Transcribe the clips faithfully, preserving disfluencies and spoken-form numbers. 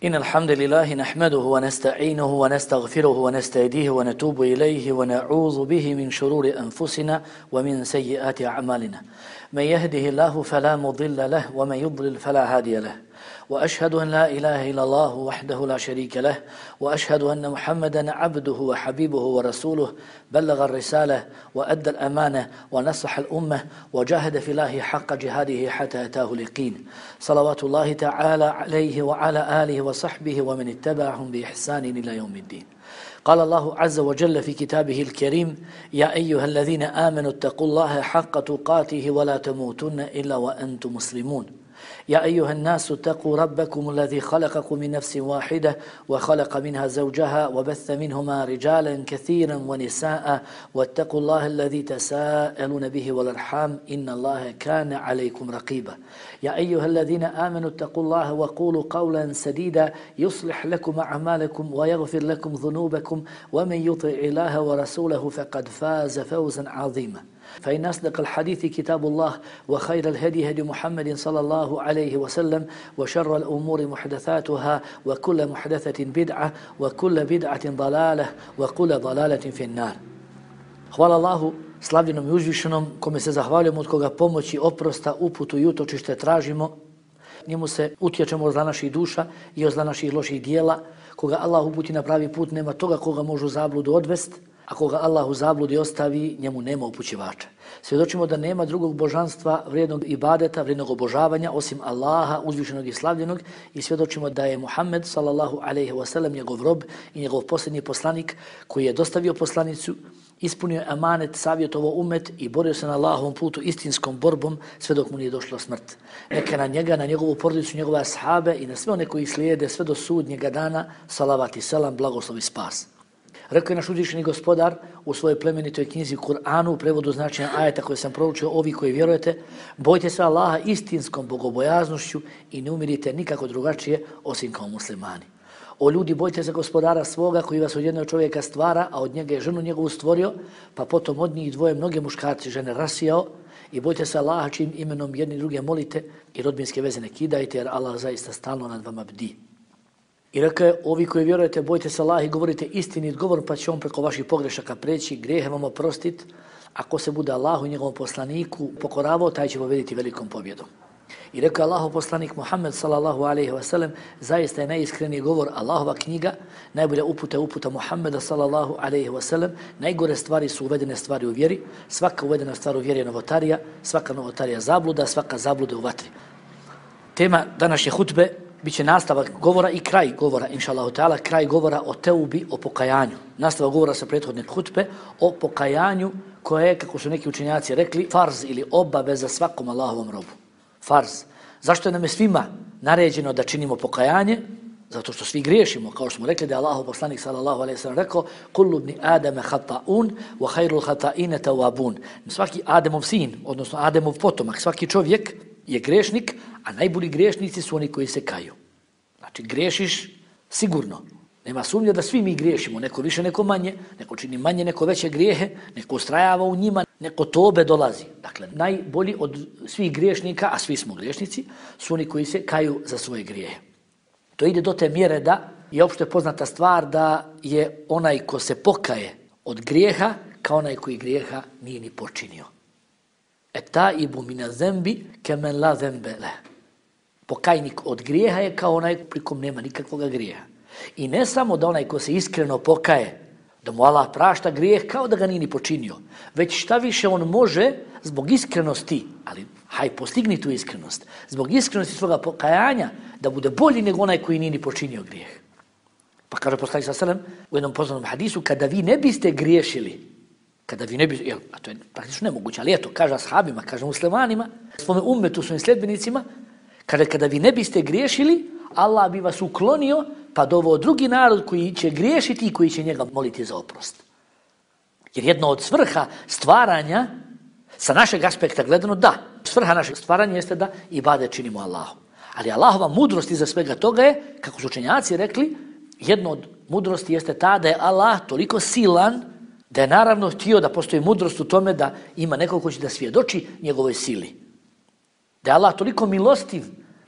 إن الحمد لله نحمده ونستعينه ونستغفره ونستهديه ونتوب إليه ونعوذ به من شرور أنفسنا ومن سيئات أعمالنا من يهده الله فلا مضل له ومن يضلل فلا هادي له وأشهد أن لا إله إلا الله وحده لا شريك له وأشهد أن محمدا عبده وحبيبه ورسوله بلغ الرسالة وأدى الأمانة ونصح الأمة وجاهد في الله حق جهاده حتى أتاه اليقين صلوات الله تعالى عليه وعلى آله وصحبه ومن اتبعهم بإحسان إلى يوم الدين. قال الله عز وجل في كتابه الكريم: يا أيها الذين آمنوا اتقوا الله حق تقاته ولا تموتن إلا وأنتم مسلمون. يا أيها الناس اتقوا ربكم الذي خلقكم من نفس واحدة وخلق منها زوجها وبث منهما رجالا كثيرا ونساء واتقوا الله الذي تساءلون به والأرحام إن الله كان عليكم رقيبا. يا أيها الذين آمنوا اتقوا الله وقولوا قولا سديدا يصلح لكم أعمالكم ويغفر لكم ذنوبكم ومن يطع الله ورسوله فقد فاز فوزا عظيما. فإن أصدق الحديث كتاب الله وخير الهدي هدي محمد صلى الله عليه وسلم وشر الأمور محدثاتها وكل محدثة بدعة وكل بدعة ضلالة وكل ضلالة في النار. Hvala Allahu slavljenom i uzvišenom, kome se zahvaljujemo, od koga pomoći, oprosta, uputu i utočište tražimo. Njemu se utječemo od zla naših duša i od zla naših loših dijela. Koga Allah uputi na pravi put, nema toga koga može u zabludu odvesti. A koga Allah u zabludi ostavi, njemu nema upućivača. Svjedočimo da nema drugog božanstva, vrijednog ibadeta, vrijednog obožavanja, osim Allaha, uzvišenog i slavljenog, i svjedočimo da je Muhammed sallallahu alejhi ve sellem njegov rob i njegov posljednji poslanik, koji je dostavio poslanicu, ispunio je amanet, savjetovo umet i borio se na Allahovom putu istinskom borbom sve dok mu nije došla smrt. Neka na njega, na njegovu porodicu, njegove ashabe i na sve one koji slijede sve do sudnjega dana, salavat i selam, blagoslov i spas. Rekao je naš uzvišeni gospodar u svojoj plemenitoj knjizi Kur'anu, u prevodu značenja ajeta koje sam proučio: ovi koji vjerujete, bojte se Allaha istinskom bogobojaznošću i ne umirite nikako drugačije osim kao muslimani. O ljudi, bojte se gospodara svoga koji vas od jednog čovjeka stvara, a od njega je ženu njegovu stvorio, pa potom od njih dvoje mnoge muškarci žene rasijao, i bojte se Allaha čim imenom jedni druge molite i rodbinske veze ne kidajte, jer Allah zaista stalno nad vama bdi. I rekao je: ovi koji vjerujete, bojte se Allaha i govorite istinit govor, pa će on preko vaših pogrešaka preći, grijehe vam oprostit. Ako se bude Allahu i njegovom poslaniku pokoravao, taj će pobjediti velikom pobjedom. I rekao je Allahov poslanik Muhammed sallallahu alejhi ve sellem: zaista je najiskreniji govor Allahova knjiga, najbolja uputa je uputa Muhammeda sallallahu alejhi ve sellem, najgore stvari su uvedene stvari u vjeri, svaka uvedena stvar u vjeri je novotarija, svaka novotarija zabluda, svaka zabluda u vatri. Tema današnje hutbe biće nastavak govora i kraj govora, inšallahu ta'ala, kraj govora o teubi, o pokajanju. Nastavak govora sa prethodne hutbe o pokajanju koje je, kako su neki učenjaci rekli, farz ili obaveza svakom Allahovom robu. Farz. Zašto je nam je svima naređeno da činimo pokajanje? Zato što svi griješimo, kao što smo rekli da je Allahov poslanik sallallahu alejhi ve sellem rekao: kullu ibni adama khata'un wa khairul khata'ina tawwabun. Svaki Ademov sin, odnosno Ademov potomak, svaki čovjek je grešnik, a najbolji grešnici su oni koji se kaju. Znači, grešiš sigurno. Nema sumnje da svi mi griješimo, neko više, neko manje, neko čini manje, neko veće grijehe, neko ustrajava u njima, neko tobe dolazi. Dakle, najbolji od svih griješnika, a svi smo griješnici, su oni koji se kaju za svoje grijehe. To ide do te mjere da je opšte poznata stvar da je onaj ko se pokaje od grijeha kao onaj koji grijeha nije ni počinio. Etaibu mina zembi kemen la zembe le. Pokajnik od grijeha je kao onaj pri kom nema nikakvog grijeha. I ne samo da onaj ko se iskreno pokaje, da mu Allah prašta grijeh kao da ga nije ni počinio, već šta više on može zbog iskrenosti, ali haj postigni tu iskrenost, zbog iskrenosti svoga pokajanja da bude bolji nego onaj koji nije ni počinio grijeh. Pa kaže poslanik sallallahu alejhi ve sellem u jednom poznatom hadisu: kada vi ne biste griješili, kada vi ne biste, jel, a to je praktično nemoguće, ali eto, kaže ashabima, kaže muslimanima, svome ummetu, svojim sljedbenicima, kada, kada vi ne biste griješili, Allah bi vas uklonio pa doveo drugi narod koji će griješiti i koji će njega moliti za oprost. Jer jedno od svrha stvaranja, sa našeg aspekta gledano, da, svrha našeg stvaranja jeste da ibadet činimo Allahu. Ali Allahova mudrost iza svega toga je, kako su učenjaci rekli, jedno od mudrosti jeste ta da je Allah toliko silan da je naravno htio da postoji mudrost u tome da ima neko ko će da svjedoči njegovoj sili. Da je Allah toliko milostiv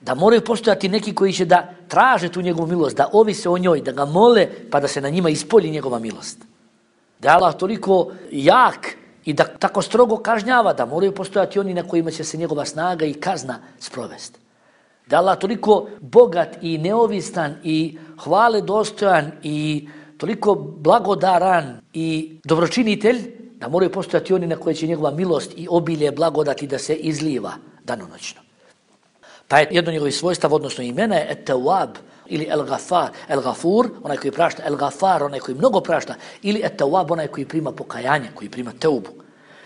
Da moraju postojati neki koji će da traže tu njegovu milost, da ovise o njoj, da ga mole, pa da se na njima ispolji njegova milost. Da je Allah toliko jak i da tako strogo kažnjava, da moraju postojati oni na kojima će se njegova snaga i kazna sprovesti. Da je Allah toliko bogat i neovistan i hvale dostojan i toliko blagodaran i dobročinitelj, da moraju postojati oni na koje će njegova milost i obilje blagodati da se izliva danonoćno. Pa je jedno njegovih svojstava, odnosno imena je Et-Tawab ili El-Gafar. El-Gafur, onaj koji prašta, El-Gafar, onaj koji mnogo prašta, ili Et-Tawab, onaj koji prima pokajanje, koji prima teubu.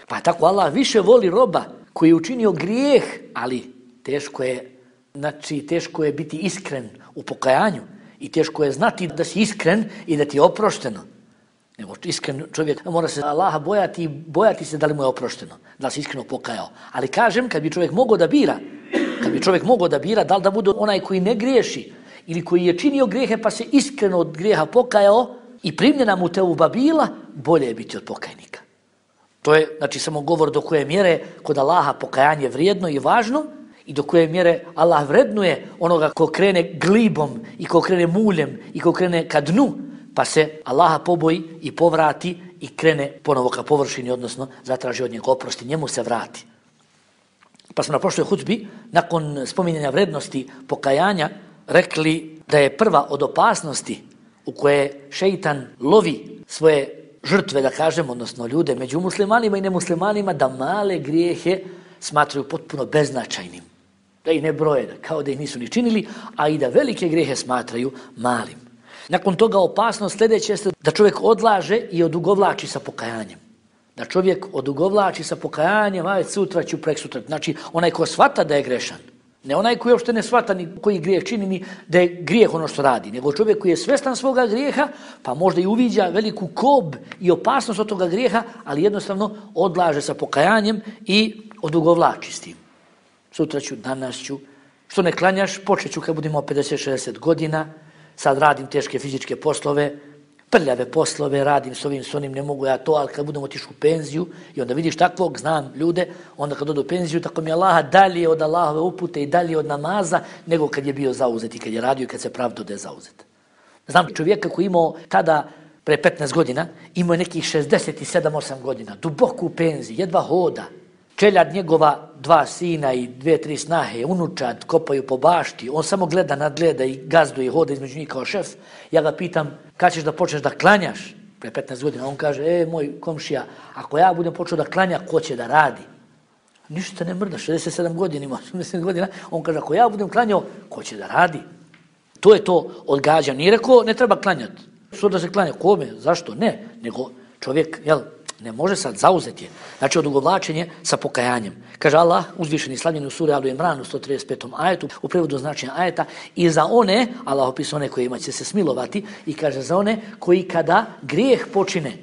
Pa tako Allah više voli roba koji je učinio grijeh, ali teško je, znači teško je biti iskren u pokajanju i teško je znati da si iskren i da ti je oprošteno. Nego iskren čovjek mora se Allaha bojati i bojati se da li mu je oprošteno, da li se iskreno pokajao. Ali kažem, kad bi čovjek mogao da bira, kad bi čovjek mogao da bira, da li da bude onaj koji ne griješi ili koji je činio grijehe pa se iskreno od grijeha pokajao i primljena mu teuba bila, bolje je biti od pokajnika. To je, znači, samo govor do koje mjere kod Allaha pokajanje vrijedno i važno i do koje mjere Allah vrednuje onoga ko krene glibom i ko krene muljem i ko krene ka dnu, pa se Allaha poboji i povrati i krene ponovo ka površini, odnosno zatraži od njega oprosti, njemu se vrati. Pa smo na prošloj hudbi, nakon spominjanja vrednosti pokajanja, rekli da je prva od opasnosti u koje šeitan lovi svoje žrtve, da kažem, odnosno ljude među muslimanima i nemuslimanima, da male grijehe smatraju potpuno beznačajnim. Da ih ne broje, kao da ih nisu ni činili, a i da velike grijehe smatraju malim. Nakon toga opasnost sljedeće jeste da čovjek odlaže i odugovlači sa pokajanjem. Da čovjek odugovlači sa pokajanjem, aj sutra ću, prek sutra. Znači, onaj ko shvata da je grešan, ne onaj koji uopšte ne shvata ni koji grijeh čini, ni da je grijeh ono što radi, nego čovjek koji je svjestan svoga grijeha, pa možda i uviđa veliku kob i opasnost od toga grijeha, ali jednostavno odlaže sa pokajanjem i odugovlači s tim. Sutra ću, danas ću, što ne klanjaš, počet ću kad budemo pedeset šezdeset godina, sad radim teške fizičke poslove, prljave poslove, radim s ovim, s onim, ne mogu ja to, ali kad budemo otišli u penziju i onda vidiš takvog, znam ljude, onda kad odu u penziju, tako mi je Allaha dalje od Allahove upute i dalje od namaza, nego kad je bio zauzet i kad je radio i kad se pravdo da je zauzet. Znam čovjeka koji imao tada, pre petnaest godina, imao je nekih šezdeset sedam osam godina, duboko u penziji, jedva hoda. Čeljad njegova dva sina i dve, tri snahe, unučad, kopaju po bašti, on samo gleda, nadgleda i gazduje i hoda između njih kao šef. Ja ga pitam, kad ćeš da počneš da klanjaš? Pre petnaest godina, on kaže, e, moj komšija, ako ja budem počeo da klanja, ko će da radi? Ništa ne mrda, šezdeset sedam godina ima, osamdeset godina, on kaže, ako ja budem klanjao, ko će da radi? To je to odgađanje. Nije rekao, ne treba klanjati. Što da se klanja? Kome? Zašto? Ne. Nego čovjek, jel, ne može sad zauzeti je. Znači, odugovlačenje sa pokajanjem. Kaže Allah, uzvišeni slavljeni u suri Alu Imran u sto trideset petom ajetu, u prevodu značenja ajeta, i za one, Allah opisao one kojima će se smilovati, i kaže za one koji kada grijeh počine,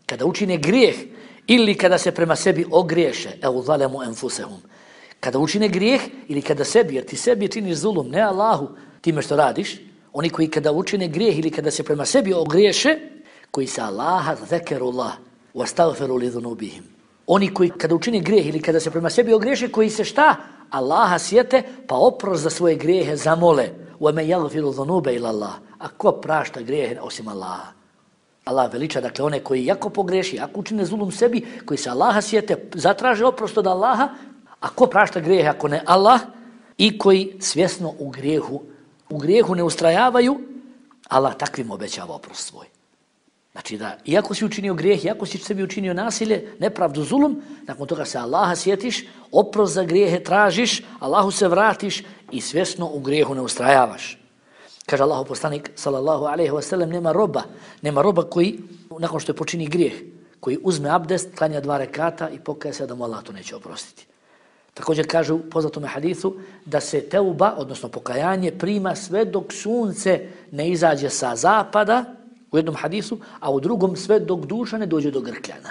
kada učine grijeh, ili kada se prema sebi ogriješe, evo zalemu enfusehum, kada učine grijeh, ili kada sebi, jer ti sebi činiš zulum, ne Allahu, time što radiš, oni koji kada učine grijeh, ili kada se prema sebi ogriješe, koji se Allaha zekerullah, وَاسْتَغْفِرُوا لِذُنُوبِهِمْ. Oni koji kada učine grijeh ili kada se prema sebi ogriješe, koji se šta? Allaha sjete, pa oprost za svoje grijehe zamole. وَمَنْ يَغْفِرُ ذُنُوبَ إِلَّا اللَّهِ. A ko prašta grijehe osim Allaha? Allah veliča, dakle, one koji jako pogreši, jako učine zulum sebi, koji se Allaha sjete, zatraže oprost od Allaha, a ko prašta grijehe ako ne Allah, i koji svjesno u grijehu, u grijehu ne ustrajavaju, Allah takvim obećava oprost svoj. Znači da, iako si učinio grijeh, iako si sebi učinio nasilje, nepravdu, zulum, nakon toga se Allaha sjetiš, oprost za grijehe tražiš, Allahu se vratiš i svjesno u grijehu ne ustrajavaš. Kaže Allahu poslanik, sallallahu alejhi ve sellem, nema roba, nema roba koji, nakon što je počini grijeh, koji uzme abdest, klanja dva rekata i pokaje se da mu Allah to neće oprostiti. Također kaže u poznatom hadithu da se teuba, odnosno pokajanje, prima sve dok sunce ne izađe sa zapada, u jednom hadisu, a u drugom sve dok duša ne dođe do grkljana.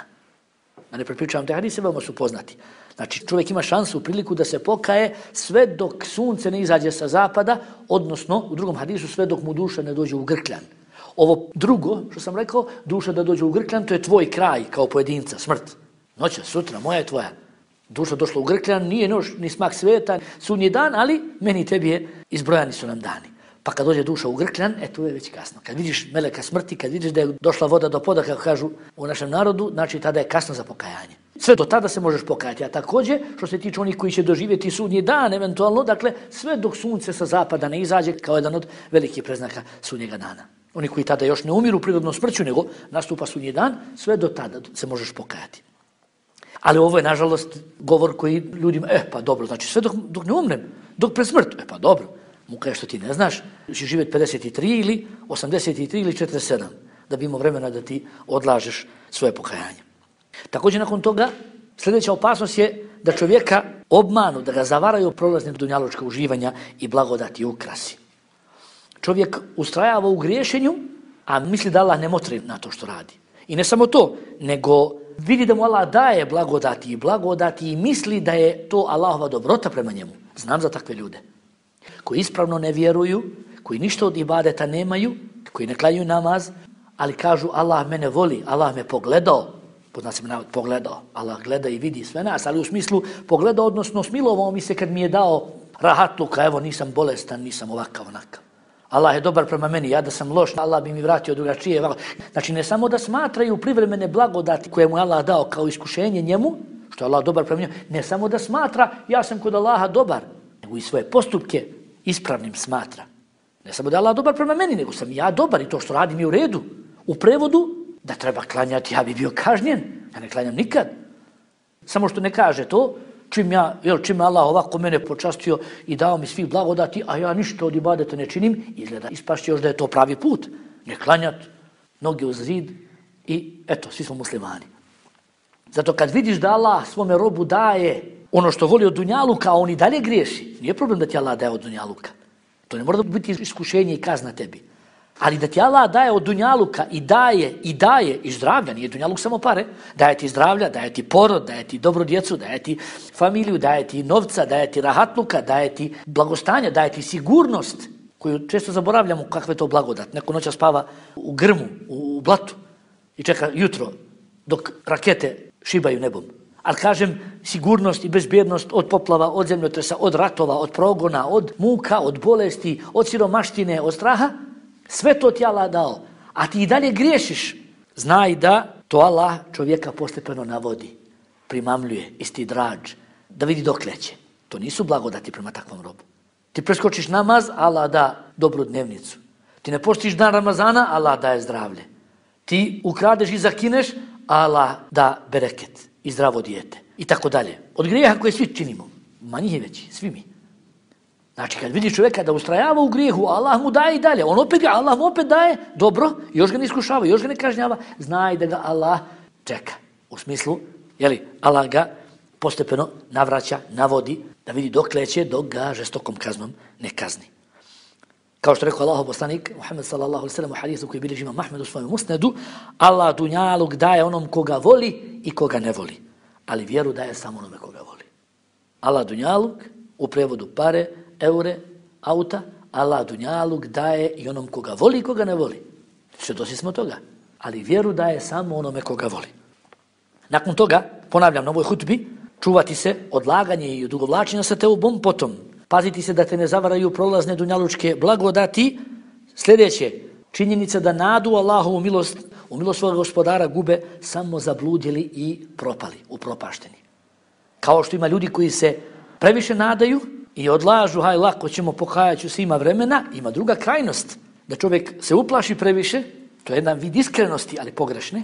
Da ne prepričavam te hadise, veoma su poznati. Znači, čovjek ima šansu, priliku da se pokaje sve dok sunce ne izađe sa zapada, odnosno, u drugom hadisu, sve dok mu duša ne dođe u grkljan. Ovo drugo, što sam rekao, duša da dođe u grkljan, to je tvoj kraj kao pojedinca, smrt. Noća, sutra, moja je tvoja. Duša došla u Grkljan, nije noć, ni smak sveta, sudnji dan, ali meni i tebi je izbrojani su nam dani. Pa kad dođe duša u Grkljan, e tu je već kasno. Kad vidiš meleka smrti, kad vidiš da je došla voda do poda, kako kažu u našem narodu, znači tada je kasno za pokajanje. Sve do tada se možeš pokajati, a također što se tiče onih koji će doživjeti sudnji dan, eventualno, dakle, sve dok sunce sa zapada ne izađe kao jedan od velikih preznaka sudnjega dana. Oni koji tada još ne umiru prirodnom smrću, nego nastupa sudnji dan, sve do tada se možeš pokajati. Ali ovo je, nažalost, govor koji ljudima, e, pa dobro, znači sve dok, dok ne umrem, dok pred smrtu, e, pa dobro. Muka je što ti ne znaš, će živjeti pedeset tri ili osamdeset tri ili četrdeset sedam, da bi imao vremena da ti odlažeš svoje pokajanje. Također nakon toga, sljedeća opasnost je da čovjeka obmanu, da ga zavaraju prolazne dunjalučka uživanja i blagodati i ukrasi. Čovjek ustrajava u griješenju, a misli da Allah ne motri na to što radi. I ne samo to, nego vidi da mu Allah daje blagodati i blagodati i misli da je to Allahova dobrota prema njemu. Znam za takve ljude koji ispravno ne vjeruju, koji ništa od ibadeta nemaju, koji ne klanjaju namaz, ali kažu Allah mene voli, Allah me pogledao, poznat se me navod pogledao, Allah gleda i vidi sve nas, ali u smislu pogledao, odnosno smilovao mi se kad mi je dao rahatluka, evo nisam bolestan, nisam ovakav, onakav. Allah je dobar prema meni, ja da sam loš, Allah bi mi vratio drugačije. Znači ne samo da smatraju privremene blagodati koje mu je Allah dao kao iskušenje njemu, što je Allah dobar prema njemu, ne samo da smatra ja sam kod Allaha dobar, nego i svoje postupke ispravnim smatra. Ne samo da je Allah dobar prema meni, nego sam ja dobar i to što radim je u redu. U prevodu, da treba klanjati, ja bi bio kažnjen, ja ne klanjam nikad. Samo što ne kaže to, čim ja, jel, čim Allah ovako mene počastio i dao mi svih blagodati, a ja ništa od ibadeta ne činim, izgleda ispašće još da je to pravi put. Ne klanjat, noge uz zid i eto, svi smo muslimani. Zato kad vidiš da Allah svome robu daje ono što voli od dunjaluka, a on i dalje griješi, nije problem da ti Allah daje od dunjaluka. To ne mora biti iskušenje i kazna tebi. Ali da ti Allah daje od dunjaluka i daje, i daje, i zdravlja, nije dunjaluk samo pare, daje ti zdravlja, daje ti porod, daje ti dobru djecu, daje ti familiju, daje ti novca, daje ti rahatluka, daje ti blagostanja, daje ti sigurnost, koju često zaboravljamo kakve to blagodat. Neko noća spava u grmu, u blatu i čeka jutro dok rakete šibaju nebom. Ali kažem, sigurnost i bezbjednost od poplava, od zemljotresa, od ratova, od progona, od muka, od bolesti, od siromaštine, od straha, sve to ti Allah dao, a ti i dalje griješiš. Znaj da to Allah čovjeka postepeno navodi, primamljuje, isti drađ, da vidi dok leće. To nisu blagodati prema takvom robu. Ti preskočiš namaz, Allah da dobru dnevnicu. Ti ne poštiš dan Ramazana, Allah daje zdravlje. Ti ukradeš i zakineš, Allah da bereket i zdravo dijete. I tako dalje. Od grijeha koje svi činimo, manji je veći, svi mi. Znači, kad vidiš čovjeka da ustrajava u grijehu, Allah mu daje i dalje. On opet, Allah mu opet daje dobro, još ga ne iskušava, još ga ne kažnjava. Znaj da ga Allah čeka. U smislu, jeli, Allah ga postepeno navraća, navodi, da vidi dok leće, dok ga žestokom kaznom ne kazni. Kao što rekao Allahov poslanik, Muhammed sallallahu alejhi ve sellem u hadisu koji bilježi Imam Ahmed u svojem musnedu, Allah dunjaluk daje onom koga voli i koga ne voli. Ali vjeru daje samo onome koga voli. Allah dunjaluk, u prevodu pare, eure, auta, Allah dunjaluk daje i onom koga voli i koga ne voli. Svjedoci smo toga. Ali vjeru daje samo onome koga voli. Nakon toga, ponavljam na ovoj hutbi, čuvati se odlaganje i odugovlačenja sa teubom, potom paziti se da te ne zavaraju prolazne dunjalučke blagodati. Sljedeće, činjenica da nadu Allahovu milost, u milost svoga gospodara gube samo zabludjeli i propali, upropašteni. Kao što ima ljudi koji se previše nadaju i odlažu, haj lako ćemo, pokajat ću se, ima vremena, ima druga krajnost, da čovjek se uplaši previše, to je jedan vid iskrenosti, ali pogrešne,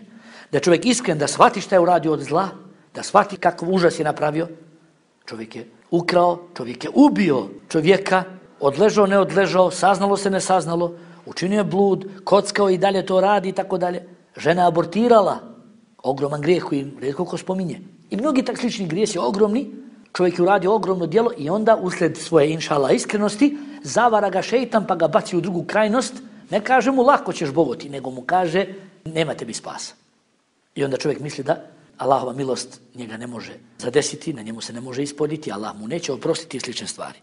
da čovjek iskren, da shvati šta je uradio od zla, da shvati kakav užas je napravio. Čovjek je ukrao, čovjek je ubio čovjeka, odležao, ne odležao, saznalo se, ne saznalo, učinio je blud, kockao i dalje to radi i tako dalje. Žena abortirala, ogroman grijeh koji rijetko ko spominje. I mnogi tak slični grijesi, ogromni, čovjek je uradio ogromno djelo i onda usled svoje inšala iskrenosti zavara ga šeitan pa ga baci u drugu krajnost. Ne kaže mu lako ćeš bogoti, nego mu kaže nema tebi spasa. I onda čovjek misli da Allahova milost njega ne može zadesiti, na njemu se ne može ispoditi, Allah mu neće oprostiti slične stvari.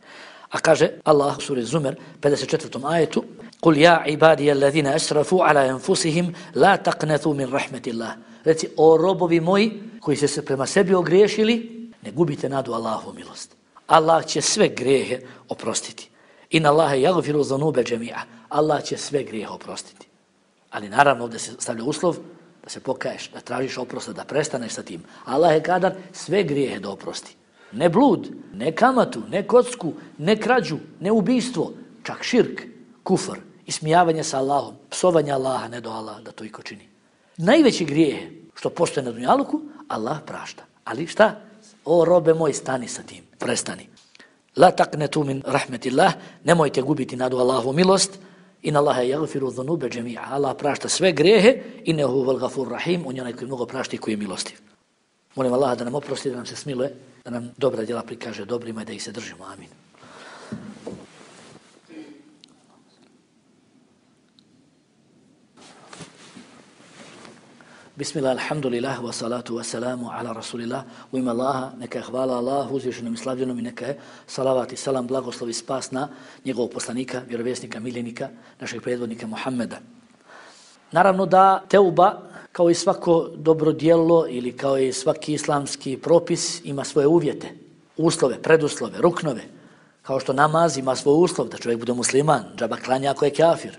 A kaže Allah u suri Zumer, pedeset četvrtom ajetu, Kul ja ibadija alladhina asrafu ala anfusihim, la taqnatu min rahmetillah. Reci, o robovi moji koji se se prema sebi ogriješili, ne gubite nadu Allahovu milost. Allah će sve grijehe oprostiti. Inna Allahe yaghfiru zunube džemi'a. Allah će sve grijehe oprostiti. Ali naravno ovdje se stavlja uslov da se pokaješ, da tražiš oprosta, da prestaneš sa tim. Allah je kadar sve grijehe da oprosti. Ne blud, ne kamatu, ne kocku, ne krađu, ne ubijstvo, čak širk, kufr, ismijavanje sa Allahom, psovanje Allaha, ne do Allaha da to iko čini. Najveći grijehe što postoje na dunjaluku, Allah prašta. Ali šta? O robe moj, stani sa tim, prestani. La taqnetu min rahmetillah, nemojte gubiti nadu Allahovu milost. Inna Allahe yaghfiru dhunube džemi'a. Allah prašta sve grijehe, innehu vel gafur rahim, on je onaj koji mnogo prašta i koji je milostiv. Molim Allaha da nam oprosti, da nam se smiluje, da nam dobra djela prikaže dobrima i da ih se držimo. Amin. Bismillah, alhamdulillah, wa salatu wa salamu ala rasulillah. U ime Allaha, neka je hvala Allahu, uzvišenom i slavljenom i neka je salavat i salam, blagoslov i spas na njegovog poslanika, vjerovjesnika, miljenika, našeg predvodnika Muhammeda. Naravno da teuba, kao i svako dobro djelo ili kao i svaki islamski propis, ima svoje uvjete, uslove, preduslove, ruknove. Kao što namaz ima svoj uslov da čovjek bude musliman, džaba klanja ako je kafir.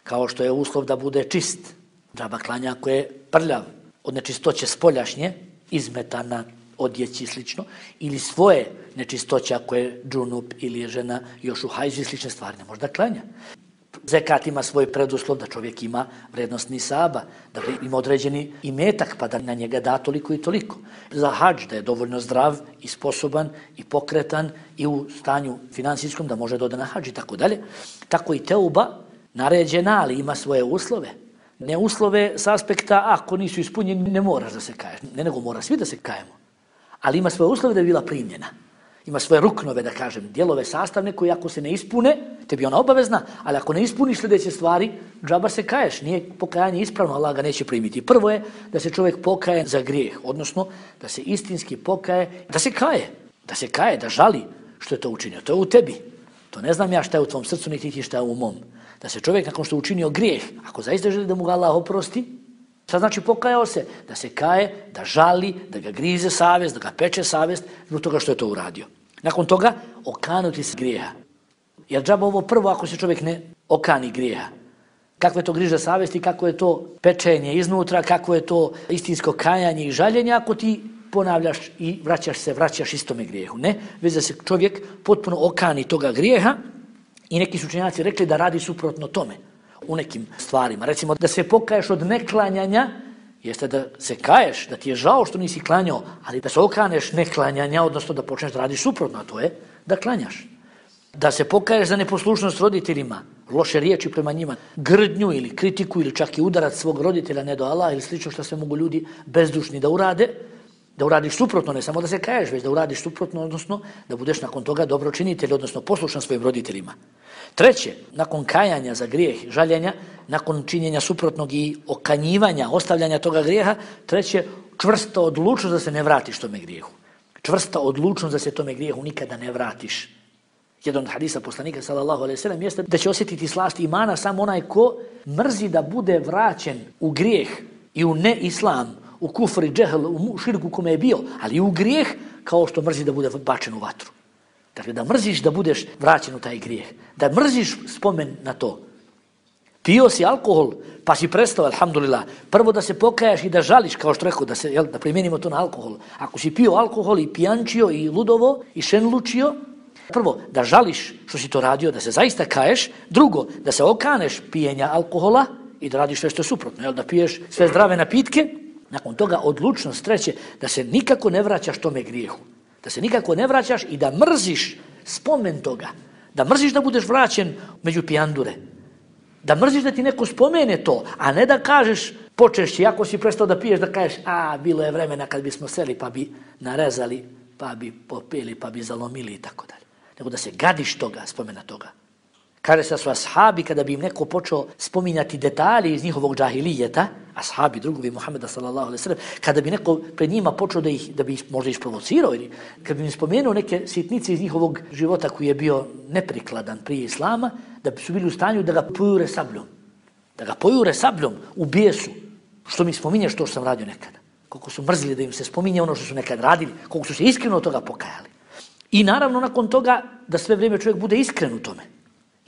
Kao što je uslov da bude čist, džaba klanja ako je prljav, od nečistoće spoljašnje, izmetana, odjeći i slično, ili svoje nečistoće ako je džunup ili je žena još u hajzu i slične stvari, ne može da klanja. Zekat ima svoj preduslov da čovjek ima vrednost nisaba, da ima određeni imetak pa da na njega da toliko i toliko. Za hadž da je dovoljno zdrav i sposoban i pokretan i u stanju finansijskom da može da ode na hadž i tako dalje. Tako i teuba naređena, ali ima svoje uslove. Ne uslove s aspekta ako nisu ispunjeni ne moraš da se kaješ, ne nego mora svi da se kajemo. Ali ima svoje uslove da je bila primljena. Ima svoje ruknove, da kažem, dijelove sastavne koji ako se ne ispune, tebi ona obavezna, ali ako ne ispuniš sljedeće stvari, džaba se kaješ, nije pokajanje ispravno, Allah ga neće primiti. Prvo je da se čovjek pokaje za grijeh, odnosno da se istinski pokaje, da se kaje, da se kaje, da žali što je to učinio. To je u tebi. To ne znam ja šta je u tvom srcu, niti ti šta je u mom. Da se čovjek nakon što je učinio grijeh, ako zaista želi da mu ga Allah oprosti, šta znači pokajao se? Da se kaje, da žali, da ga grize savjest, da ga peče savjest zbog toga što je to uradio. Nakon toga okanuti se grijeha. Jer džaba ovo prvo ako se čovjek ne okani grijeha. Kakve je to griža savjesti, kako je to pečenje iznutra, kako je to istinsko kajanje i žaljenje ako ti ponavljaš i vraćaš se, vraćaš istome grijehu. Ne, već da se čovjek potpuno okani toga grijeha i neki su učenjaci rekli da radi suprotno tome u nekim stvarima. Recimo da se pokaješ od neklanjanja, jeste da se kaješ, da ti je žao što nisi klanjao, ali da se okaneš neklanjanja, odnosno da počneš da radiš suprotno, a to je da klanjaš. Da se pokaješ za neposlušnost roditeljima, loše riječi prema njima, grdnju ili kritiku ili čak i udarac svog roditelja, ne do Allah ili slično što sve mogu ljudi bezdušni da urade, da uradiš suprotno, ne samo da se kaješ, već da uradiš suprotno, odnosno da budeš nakon toga dobročinitelj, odnosno poslušan svojim roditeljima. Treće, nakon kajanja za grijeh, žaljenja, nakon činjenja suprotnog i okanjivanja, ostavljanja toga grijeha, treće, čvrsta odlučnost da se ne vratiš tome grijehu. Čvrsta odlučnost da se tome grijehu nikada ne vratiš. Jedan od hadisa poslanika sallallahu alejhi ve sellem jeste da će osjetiti slast imana samo onaj ko mrzi da bude vraćen u grijeh i u neislam, u kufr i džehl, u širku kome je bio, ali i u grijeh kao što mrzi da bude bačen u vatru. Dakle, da mrziš da budeš vraćen u taj grijeh. Da mrziš spomen na to. Pio si alkohol, pa si prestao, alhamdulillah. Prvo da se pokajaš i da žališ, kao što rekao, da, se, jel, da primjenimo to na alkohol. Ako si pio alkohol i pijančio i ludovo i šenlučio, prvo da žališ što si to radio, da se zaista kaješ. Drugo, da se okaneš pijenja alkohola i da radiš sve što je suprotno. Jel, da piješ sve zdrave napitke. Nakon toga odlučnost treće, da se nikako ne vraćaš tome grijehu. Da se nikako ne vraćaš i da mrziš spomen toga. Da mrziš da budeš vraćen među pijandure. Da mrziš da ti neko spomene to, a ne da kažeš, počešći, ako si prestao da piješ, da kažeš, a, bilo je vremena kad bismo seli pa bi narezali, pa bi popili, pa bi zalomili i tako dalje. Nego da se gadiš toga, spomena toga. Kaže se da su ashabi, kada bi im neko počeo spominjati detalje iz njihovog džahilijeta, ashabi, drugovi Muhammeda sallallahu alejhi ve sellem, kada bi neko pred njima počeo da ih, da bi ih možda isprovocirao, ili kada bi im spomenuo neke sitnice iz njihovog života koji je bio neprikladan prije islama, da bi su bili u stanju da ga pojure sabljom. Da ga pojure sabljom u bijesu. Što mi spominješ to što sam radio nekada. koliko su mrzili da im se spominje ono što su nekad radili, koliko su se iskreno od toga pokajali. I naravno nakon toga da sve vrijeme čovjek bude iskren u tome.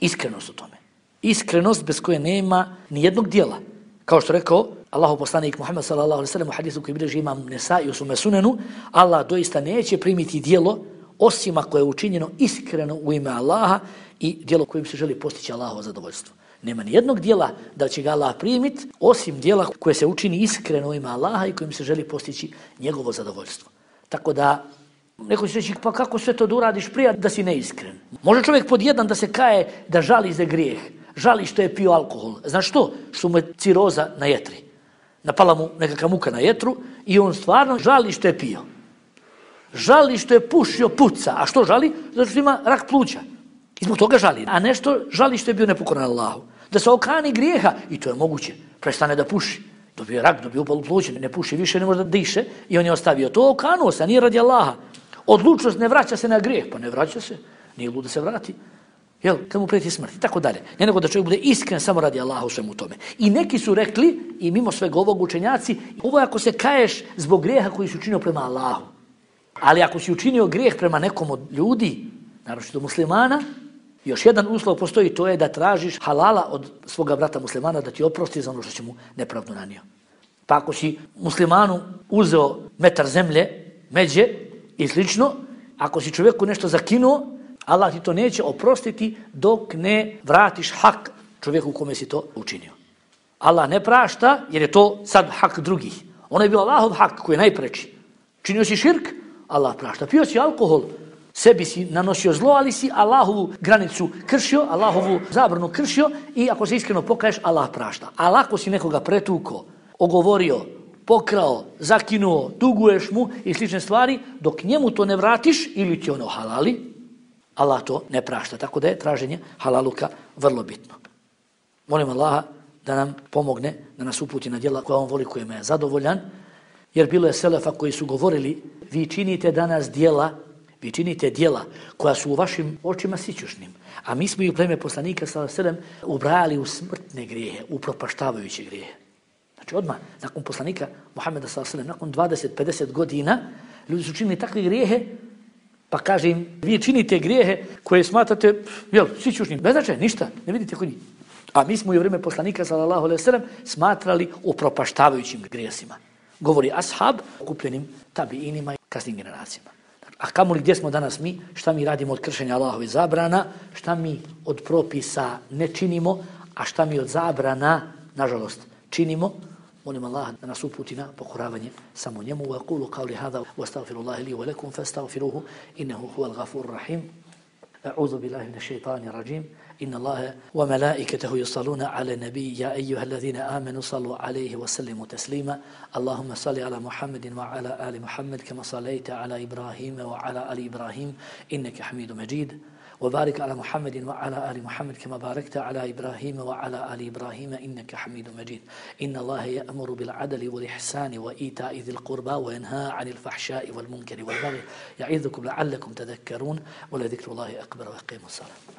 Iskrenost u tome. Iskrenost bez koje nema ni jednog dijela. Kao što rekao Allahov poslanik Muhammed sallallahu alejhi ve sellem u hadisu koji bilježi Imam Nesai u svome sunenu, Allah doista neće primiti dijelo osim ako je učinjeno iskreno u ime Allaha i dijelo kojim se želi postići Allahovo zadovoljstvo. Nema ni jednog dijela da će ga Allah primiti osim dijela koje se učini iskreno u ime Allaha i kojim se želi postići njegovo zadovoljstvo. Tako da neko će reći, pa kako sve to da uradiš prije da si neiskren? Može čovjek pod jedan da se kaje da žali za grijeh, žali što je pio alkohol. Znaš što? Što mu je ciroza na jetri. Napala mu nekakva muka na jetru i on stvarno žali što je pio. Žali što je pušio puca. A što žali? Zato što ima rak pluća. I zbog toga žali. A nešto žali što je bio nepokoran Allahu. Da se okani grijeha, i to je moguće, prestane da puši. Dobio rak, dobio upalu pluća, ne puši više, ne može da diše i on je ostavio to. Okanuo se, nije radi Allaha. Odlučnost ne vraća se na grijeh. Pa ne vraća se, nije lud da se vrati. Jel, kad mu prijeti smrt i tako dalje. Ne nego da čovjek bude iskren samo radi Allaha u svemu tome. I neki su rekli, i mimo svega ovog učenjaci, ovo je ako se kaješ zbog grijeha koji si učinio prema Allahu. Ali ako si učinio grijeh prema nekom od ljudi, naročito muslimana, još jedan uslov postoji, to je da tražiš halala od svoga brata muslimana da ti oprosti za ono što će mu nepravdu nanio. Pa ako si muslimanu uzeo metar zemlje, međe i slično, ako si čovjeku nešto zakinuo, Allah ti to neće oprostiti dok ne vratiš hak čovjeku kome si to učinio. Allah ne prašta jer je to sad hak drugih. Ono je bio Allahov hak koji je najpreči. Činio si širk, Allah prašta. Pio si alkohol, sebi si nanosio zlo, ali si Allahovu granicu kršio, Allahovu zabranu kršio i ako se iskreno pokaješ, Allah prašta. Ali ako si nekoga pretuko, ogovorio, pokrao, zakinuo, duguješ mu i slične stvari, dok njemu to ne vratiš ili ti ono halali, Allah to ne prašta. Tako da je traženje halaluka vrlo bitno. Molim Allaha da nam pomogne, da nas uputi na djela koja on voli, kojima je zadovoljan, jer bilo je selefa koji su govorili, vi činite danas djela, vi činite djela koja su u vašim očima sićušnim, a mi smo i u pleme poslanika sallallahu alejhi ve sellem ubrajali u smrtne grijehe, u propaštavajuće grijehe. Znači odmah, nakon poslanika Muhameda sallallahu alejhi ve sellem, nakon dvadeset do pedeset godina, ljudi su činili takve grijehe, pa kaže im, vi činite grijehe koje smatrate, jel, sićušnim, bez značaja, ništa, ne vidite kod njih. A mi smo i u vrijeme poslanika sallallahu alejhi ve sellem smatrali upropaštavajućim grijesima. Govori ashab okupljenim tabiinima i kasnim generacijama. A kamoli gdje smo danas mi, šta mi radimo od kršenja Allahovih zabrana, šta mi od propisa ne činimo, a šta mi od zabrana, nažalost, činimo. Molim Allah da nas uputi na pokoravanje samo njemu. Wa aqulu qawli hadha wa astaghfirullaha li wa lakum fastaghfiruhu innahu huwal ghafurur rahim. A'udhu billahi minash shaitanir rajim. إن الله وملائكته يصلون على النبي يا أيها الذين آمنوا صلوا عليه وسلموا تسليما اللهم صل على محمد وعلى آل محمد كما صليت على إبراهيم وعلى آل إبراهيم إنك حميد مجيد وبارك على محمد وعلى آل محمد كما باركت على إبراهيم وعلى آل إبراهيم إنك حميد مجيد إن الله يأمر بالعدل والإحسان وإيتاء ذي القربى وينهى عن الفحشاء والمنكر والبغي يعظكم لعلكم تذكرون ولذكر الله أكبر وأقيموا الصلاة